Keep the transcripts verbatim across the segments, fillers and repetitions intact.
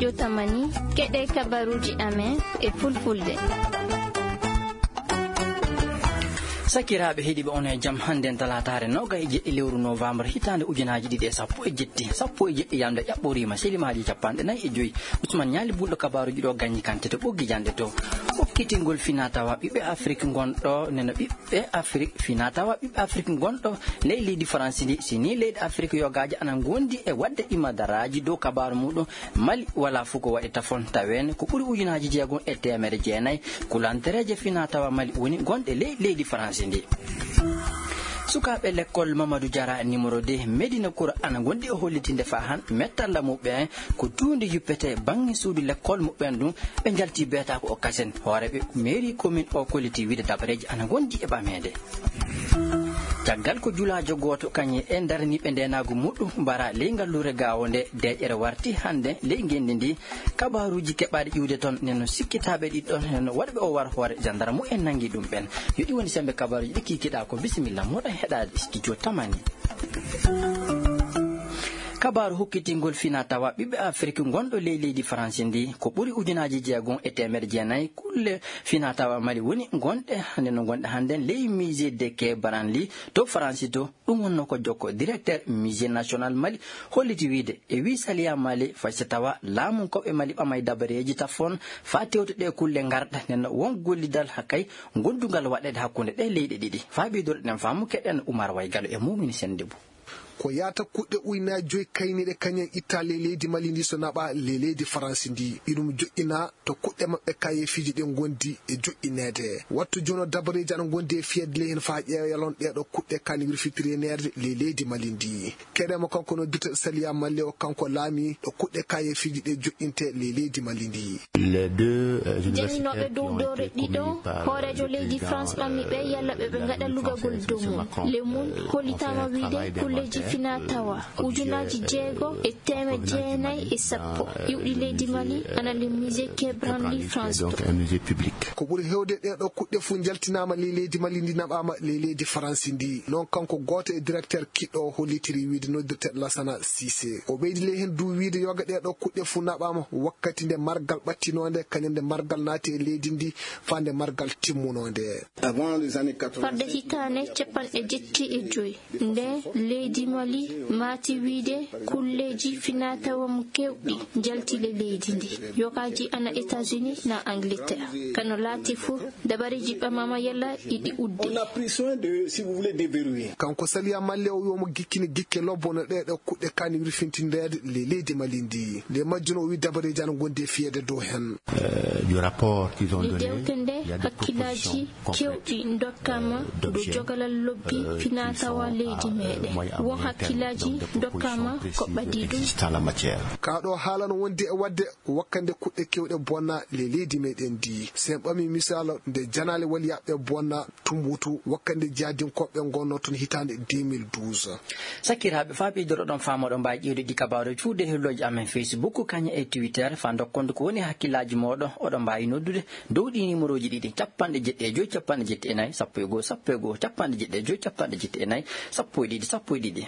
Jotamani, keɗee kabaruuji amen e fulfulde. Sakiraaɓe heɗiiɓe, on e jam. Hannden talaataare noogay e jeɗɗi lewru noowambar hitaande ujunaaji ɗiɗi e sappo e jetti, sappo e jeɗɗi yamde ƴaɓɓoriima silimaaji cappanɗe nayi e joy. Usman Ñaali bulɗo kabaaruuji ɗo gañi kante to ɓoggi janɗe to. Hokkitingol finaa-tawaa ɓiɓɓe Afrik ngonɗo neno ɓiɓɓe Afrik, finaa-tawaa ɓiɓɓe Afrik ngonɗo ley leydi Faransi ndi, si nii leyɗe Afrik yogaaji ana ngondi e waɗde imadaraaji dow kabaaru muɗum, Mali walaa fuu ko waɗi tafon, taweene ko ɓuri ujunaaji jeegom e teemedde jeenayi kulantereeje finaa-tawaa Mali woni gonɗe ley leydi Faransi ndi. Sukaaɓe lekkol Mamadou Diarra numéro deux Medina Kura ana ngondi e hollitinde faa han mettalla muɓɓen ko tuundi yuppetee baŋŋe suudu lekkol muɓɓen ɗum, ɓe njalti beetaako o kasen. Hooreeɓe meeri komin o kolliti wiide dabareeji ana ngondi e ɓameede. Caggal ko julaajo gooto kañum e daraniiɓe ndeenaagu muɗum mbara ley ngalluure Gaawo nde, deeƴere warti hannde ley ngenndi ndi. Kabaaruuji keɓaaɗi ƴiwde toon, nden no sikkitaaɓe ɗiɗi ɗoon, nden no waɗɓe o war hoore jandarmu en nanngi ɗum ɓeen. Yo ɗi woni semmbe kabaaruuji ɗi kiikiɗaa ko. Bisimilla, moɗon heɗaade studio Tamani. Kabaaru hokkitingol finaa-tawaa ɓiɓɓe Afrik ngonɗo ley leydi Faransi ndi, ko ɓuri ujunaaji jeegom e teemedde jeenayi kulle finaa-tawaa Mali woni gonɗe, hannde no ngonɗe hannden ley Musée de Quai Branly to Faransi to. Ɗum wonnoo ko jokko directeur Musée National Mali holliti wiide, e wii Saliya Mali, fay so tawaa laamunkooɓe Mali ɓamay dabareeji tafon faa tewta ɗee kulle ngarɗa, nden no won gollidal hakkay gondungal waɗeede hakkunde ɗee leyɗe ɗiɗi. Faa ɓeydoreɗen faamu, keɗen Umar Waygalo e Mumini Sennde Bou. Ko yaata kuɗɗe ujunaaji joy kayniiɗe kañen itta ley leydi Mali ndi so naɓa ley leydi Faransi ndi. Iɗum joƴƴina to kuɗɗe maɓɓe kayeefiiji ɗin ngondi e joƴƴineede. Wattu jooni o dabareeji ana ngondi e fiyeede ley heen faa ƴeewa yalon ɗee ɗoo kuɗɗe kaani wirfitirineede ley leydi Mali ndi. Keɗen mo kanko noddirteeɗo Saliya Mali o, kanko laamii ɗo kuɗɗe kayeefiiji ɗee joƴƴintee ley leydi Mali ndi. Les deux, euh, universitaires qui ont été commis par, euh, le président, euh, Macron, euh, ont fait face à, euh, des actes, euh, qui sont, euh, très graves. Les mun hollitaama wiide kulleeji finaa-tawaa ujunaaji jeego e teemedde jeenayi e sappo iwɗi leydi Mali ana le musée Quai Branly France deux. Donc, un musée public. Ko ɓuri heewde ɗee ɗoo kuɗɗe fuu njaltinaama ley leydi Mali ndi, naɓaama ley leydi Faransi ndi. Non kanko gooto e directeur kiɗɗo o hollitiri wiide noddirteeɗo Lassana Cissé. O ɓeydi ley heen duu wiide yoga ɗee ɗoo kuɗɗe fuu naɓaama wakkati nde margal ɓattinoonde, kañum nde margal naati e leydi ndi faa nde margal timmunoo nde. Avant les années quatre-vingt-cinq, farde hitaande cappanɗe jetti e joy, nde leydi Mali maati wiide kulleeji finaa-tawaa mum keewɗi njalti le leydi ndi. Yogaaji ana États-Unis na Angleterre. Kano laati fuu, dabareeji ɓamaama yalla iɗi udde. On a pris soin de, si vous voulez, déverrouiller. Kanko Saliya Mali o wii omo gikkini gikke lobbo no ɗee ɗoo kuɗɗe kaani wirfintindeede le leydi Mali ndi. Nde majjuno o wii dabareeji ana ngondi e fiyeede dow heen. Euh, du rapport qu'ils ont donné, il y a des propositions concrètes, euh, d'objets, euh, qui sont, euh, moyennant, euh, moyennant, euh, des propositions précises existant en la matière. Kaa ɗoo haala no wondi e waɗde wakkande kuɗɗe keewɗe bonna le leydi meɗen ndi. Si en ɓamii misaalu nde janaale waliyaaɓe bonna Tumbutu, wakkande jaadinkooɓe ngonnoo toon hitaande deux mille douze. Sakiraaɓe, faa ɓeydoroɗon faamu, oɗon mbaawi ƴeewde ɗi kabaaruuji fuu e hellooji amen Facebook, kañum e Twitter, faa ndokkondu ko woni hakkillaaji mooɗon. Oɗon mbaawi noddude dow ɗii nimerooji ɗiɗi, cappanɗe jeɗɗi e joy, cappanɗe jeɗɗi e nayi, sappo e go'o, sappo e go'o, cappanɗe jeɗɗi e joy, cappanɗe jeɗɗi e nayi, sappo e ɗiɗi, sappo e ɗiɗi.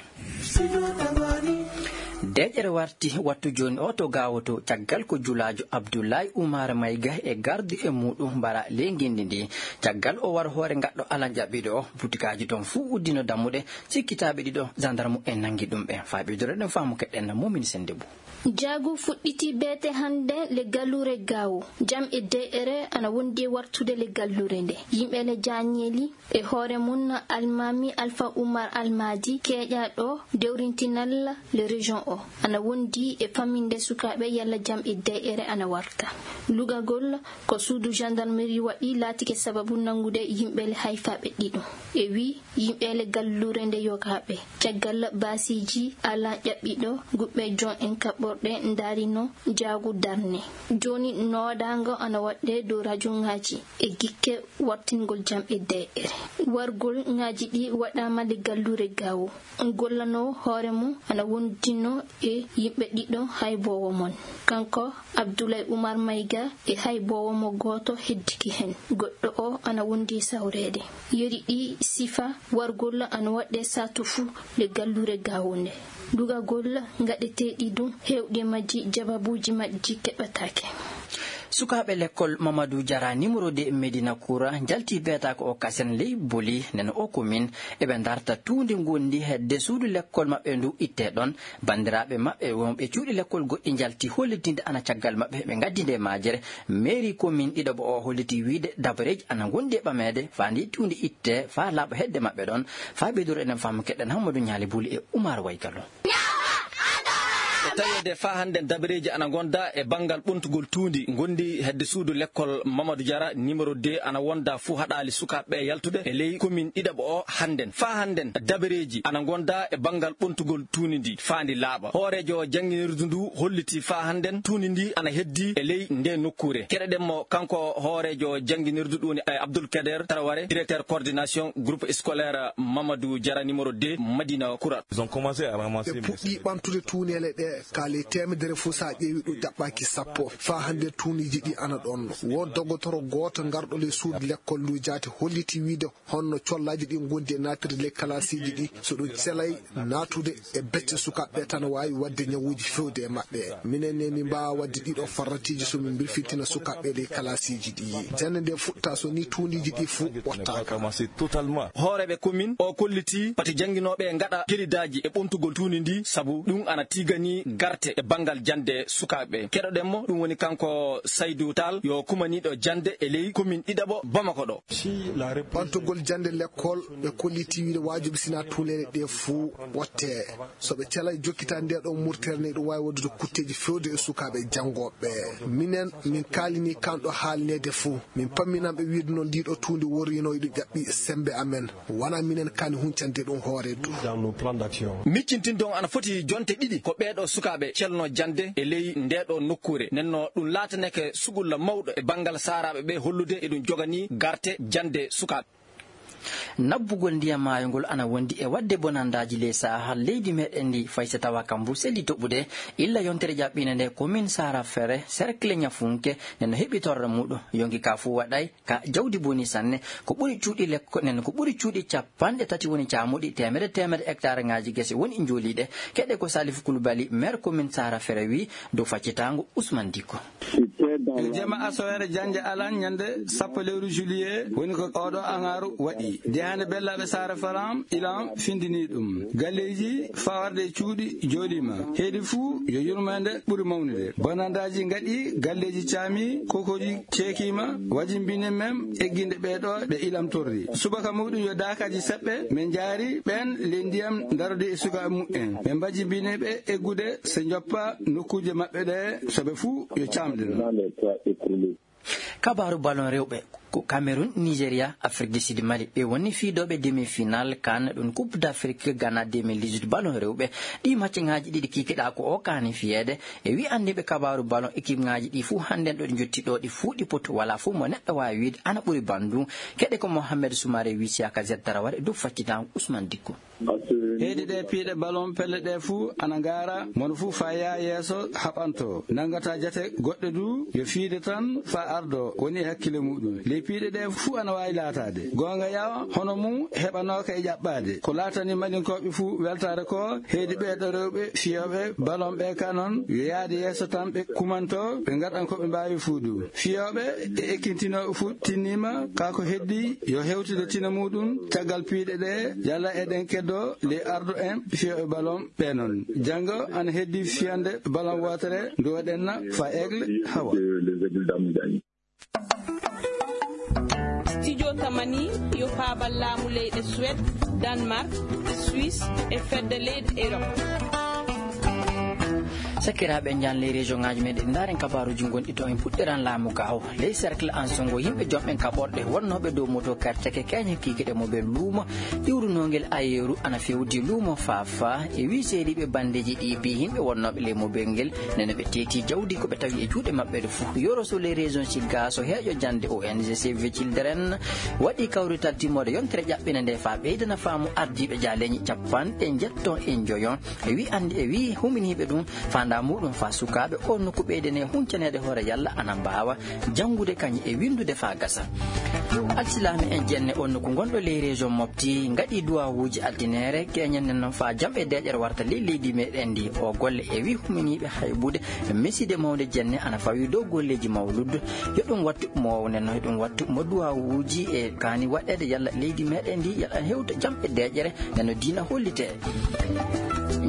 Deeƴere warti wattu jooni oo to Gaawo to, caggal ko julaajo Abdullaay Umar Mayga e gardiiɓe muuɗum mbara ley ngenndi ndii. Caggal o war hoore ngaɗɗo alan ƴaɓɓiiɗo oo, butikaaji toon fuu uddino dammuɗe, sikkitaaɓe ɗiɗo, jandarmu en nanngi ɗum ɓe. Faa ɓeydoroɗen faamu, keɗɗen Mumin Sennde Buu. Njaagu fuɗɗitii beete hannde le galluure Gaawo. Jam e deeƴere ana wondi e wartude le galluure nde. Yimɓe le jaañeeli, e hoore mum Almaami Alfa Umar Almaadi, keeƴaaɗo dewrintinal le région oo, ana wondi e famminde sukaaɓe yalla jam e deeƴere ana warta. Lugagol ko suudu gendarmerie waɗi laatike sababu nanngude yimɓe le hayfaaɓe ɗiɗo. E wii yimɓe le galluure nde yogaaɓe. Caggal baasiiji alan ƴaɓɓiiɗo, guɓɓe jon en kaɓɓorɗe ndaarino njaagu darne. Jooni noodaango ana waɗde dow rajoŋaaji e gikke wartingol jam e deeƴere. Wargol ŋaaji ɗii waɗaama le galluure Gaawo. Gollanoowo hoore mum ana wondinoo e yimɓe ɗiɗo hayboowo mon. Kanko Abdulay Umar Mayga e hayboowo mo gooto heddike hen. Goɗɗo oo ana wondi e sawreede. Yeri ɗii sifa wargol ana waɗɗee saatu fuu le galluure Gaawo ndee. Dugagol ngaɗeteeɗi ɗum, heewɗi majji jababuuji majji keɓataake. Sukaaɓe lekkol Mamadou Diarra numéro deux Médina Koura njalti beetaako o kasen ley Boli, nden o komin eɓe ndarta tuundi ngondi hedde suudu lekkol maɓɓe ndu ittee ɗon. Banndiraaɓe maɓɓe wonɓe cuuɗi lekkol goɗɗi njalti hollitinde ana caggal maɓɓe ɓe ngaddi nde majere. Mairie komin ɗiɗaɓo o holliti wiide dabareeji ana ngondi e ɓameede faa ndi tuundi ittee faa laaɓa hedde maɓɓe ɗon. Faa ɓeydoro eɗen faamu keɗen Hammadou Ñaali Buli e Umar Waygalo. E taweede faa hannden dabareeji ana ngonda e banngal ɓontugol tuundi ngondi hedde suudu lekkol Mamadou Diarra numéro deux ana wonda fuu haɗaali sukaaɓe ɓe yaltude e ley komin ɗiɗaɓo o hannden. Faa hannden dabareeji ana ngonda e banngal ɓontugol tuundi ndi faa ndi laaɓa. Hooreejo jannginirdu ndu holliti faa hannden tuundi ndi ana heddi e ley nde nokkuure. Keɗoɗen mo kanko hooreejo jannginirdu ɗum woni, eh, Abdoul Kader Traoré, directeur coordination groupe scolaire Mamadou Diarra numéro deux Madina Koura. Ils ont commencé à ramasser. Ɓe puɗɗii ɓamtude tuuneele ɗee, ka ley teemedere fof, so a ƴeewii ɗum, jaɓɓaaki sappo. Faa hannde tuuniiji ɗii ana ɗoon. Won dogotoro gooto garɗo ley suudu lekkol nduu jaati holliti wiide honno collaaji ɗii ngondi e naatirde ley kalaasiiji ɗii. So ɗum celay naatude e becce sukaaɓe ɓee tan waawi waɗde ñawuuji feewde e maɓɓe. Minen ne, min mbaawaa waɗde ɗii ɗoo farratiiji so min mbirfintina sukaaɓe ɓee ley kalaasiiji ɗii. Jannde nde fuɗta so nii tuuniiji ɗii fuu ɓottaaka. Hooreeɓe komin o kolliti pati jannginooɓe ngaɗa gelidaaji e ɓontugol tuundi ndii, sabu ɗum ana tiganii garte e banngal jannde sukaaɓe. Keɗoɗen mo, ɗum woni kanko Saydou Tall, yo kumaniiɗo jannde e ley komin ɗiɗaɓo Bamako ɗo. Ɓamtugol jannde lekkol, ɓe kolliti wiide waajibi sinaa tuuneele ɗee fuu ɓottee. So ɓe calay jokkitaade ndee ɗoo murtere ne, ɗum waawi waɗude kutteeji feewde e sukaaɓe janngooɓe ɓee. Minen, min kaalinii kan ɗoo haalneede fuu. Min pamminanɓe wiide noon ndii ɗoo tuundi worriino iɗum ƴaɓɓi semmbe amen. Wanaa minen kaani huncande ɗum hoore du. Dans nos plans d'action. Miccintinde on ana foti jonte ɗiɗi ko ɓee ɗoo sukaaɓe celnoo jannde e ley ndee ɗoo nokkuure. Nden non ɗum laataneke suɓulla mawɗo e banngal saaraaɓe ɓee hollude eɗum joganii garte jannde sukaaɓe. Nabbugol ndiyam maayo ngol ana wondi e waɗde bonandaaji ley Sahel leydi meɗen ndi, fay so tawaa kambu selli toɓude. Illa yontere ƴaɓɓinde nde komin Sara Fere, cercle Ñafunke, nde no heɓi torra muuɗum. Yonki ka fuu waɗay ka jawdi boni sanne. Ko ɓuri cuuɗi lekko-, nen ko ɓuri cuuɗi capanɗe tati woni caamuɗi, teemedere teemedere hectare ŋaaji gese woni njooliiɗe. Keɗe ko Salif Koulibaly, maire commune Sara Fere, wii dow faccitaango Ousmane Dicko. Yo jema asoweere jannde alan ñannde sappo lewru juillet woni ko oɗo aŋaaru waɗi. Diyaande bellaaɓe Saare Faram ilan findinii ɗum. Galleeji faa warde e cuuɗi jooɗiima. Heedi fuu yo yurmeende ɓuri mawnude. Bonandaaji ngaɗi, galleeji caami, kokooji ceekiima, wajimbine men egginde ɓee ɗoo ɓe ilam torri. Subaka muuɗum yo daakaaji seɓɓe, men njaari ɓeen ley ndiyam ndarodi e sukaaɓe muɓɓen. Men mbajimbini ɓe eggude so njoppa nokkuuje maɓɓe ɗee, so ɓe fuu yo caamɗe non. Kabaaru ballon rewɓe ko Cameroun, Nigeria, Afrique du Sud, Mali. Ɓe woni fiidooɓe demi-finale kan ɗum Coupe d'Afrique Ghana deux mille dix-huit ballon rewɓe. Ɗii maccaŋaaji ɗiɗi kikiɗaa ko o kaani fiyeede. E wii anndiiɓe kabaaru ballon, équipeŋaaji ɗii fuu hannden ɗo ɗi njotti ɗoo, ɗi fuu ɗi potu. Walaa fuu mo neɗɗo waawi wiide ana ɓuri banndum. Keɗe ko Mohamed Soumaré wii Siaka Z Taraware dow faccitaango Ousmane Dicko. Heedi ɗee piiɗe ballon pelle ɗee fuu ana ngaara, mono fuu faa yaa yeeso haɓantoo. Nanngataa jate goɗɗe duu, yo fiide tan faa ardoo woni e hakkille muuɗum. Ley piiɗe ɗee fuu ana waawi laataade. Goonga yawa, hono mum heɓanooka e ƴaɓɓaade. Ko laatanii Malinkooɓe fuu weltaare koo, heedi ɓee ɗoo rewɓe fiyooɓe ballon ɓee kaa non, yo yaade yeeso tan ɓe kumantoo, ɓe ngaɗan ko ɓe mbaawi fuu duu. Fiyooɓe e ekkintinooɓe fuu tinniima, kaa ko heddii yo hewtude tina muuɗum caggal piiɗe ɗee, yalla eɗen keddoo ley ardo en fiyooɓe ballon ɓee non. Janngo ana heddii fiyande ballon wootere ndu waɗenna faa Aigle Hawa. Studio Tamani yo faabal laamu leyɗe Suède, Danemark, Suisse e fedde leyɗe Erop. Sakiraaɓe, njahen ley région ŋaaji men ɗi, ndaaren kabaaruuji gonɗi toon. En puɗɗiran laamu gaawo. Ley cercle Ansongo, yimɓe jomɓe kaɓorɗe wonnooɓe dow moto karcake keeñe kiikiiɗe mo ɓe luumo iwrunoongel ayeeru ana fewti luumo Faafa. E wii seeriiɓe banndeeji ɗii bii yimɓe wonnooɓe ley mobel ngel, nene ɓe teeti jawdi ko ɓe tawi e juuɗe maɓɓe ɗo fuu. Yoro Sow ley région Siga, so heeƴo jannde O N G Save the Children waɗi kawrital timmoode yontere ƴaɓɓinde nde faa ɓeydana faamu ardiiɓe jaaleeji capanɗe njetto e njoyo. E wii anndi, e wii huminiiɓe ɗum, faandaa muuɗum faa sukaaɓe oo nokku ɓeydane huncaneede hoore yalla ana mbaawa janngude kañum e winndude faa gasa. Alsilaame en jenne oo nokku gonɗo ley région Mopti ngaɗii duwaawuuji altineere keeñen nen noon faa jam e deeƴere warta ley leydi meɗen ndi. Oo golle e wii huminiiɓe haybude misiide mawnde jenne ana fawii dow golleeji mawluud. Yo ɗum wattu mo nen noon, yo ɗum wattu mo duwaawuuji e kaani waɗeede yalla leydi meɗen ndi yalla hewta jam e deeƴere. Neno diina hollitee.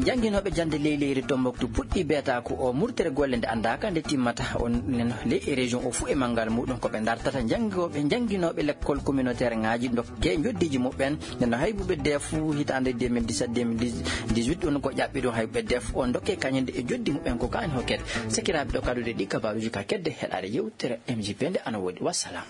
Jannginooɓe jannde ley leydi Tombuktu puɗɗii beetaaku oo murtere golle nde anndaaka nde timmata. On neno ley e région oo fuu e manngal muuɗum ko ɓe ndartata janngooɓe, jannginooɓe lekkol communautaire ŋaaji ndokkee njoddiiji muɓɓen. Neno haybuɓe def hitaande deux mille dix-sept deux mille dix-huit ɗum ko ƴaɓɓi ɗum haybuɓe def on ndokkee kañum e njoddi muɓɓen ko kaani hokkete. Sakiraaɓe, ɗo kaduɗe ɗi kabaaruuji ka kedde heɗaade yewtere M J P nde ana woodi. Wassalam.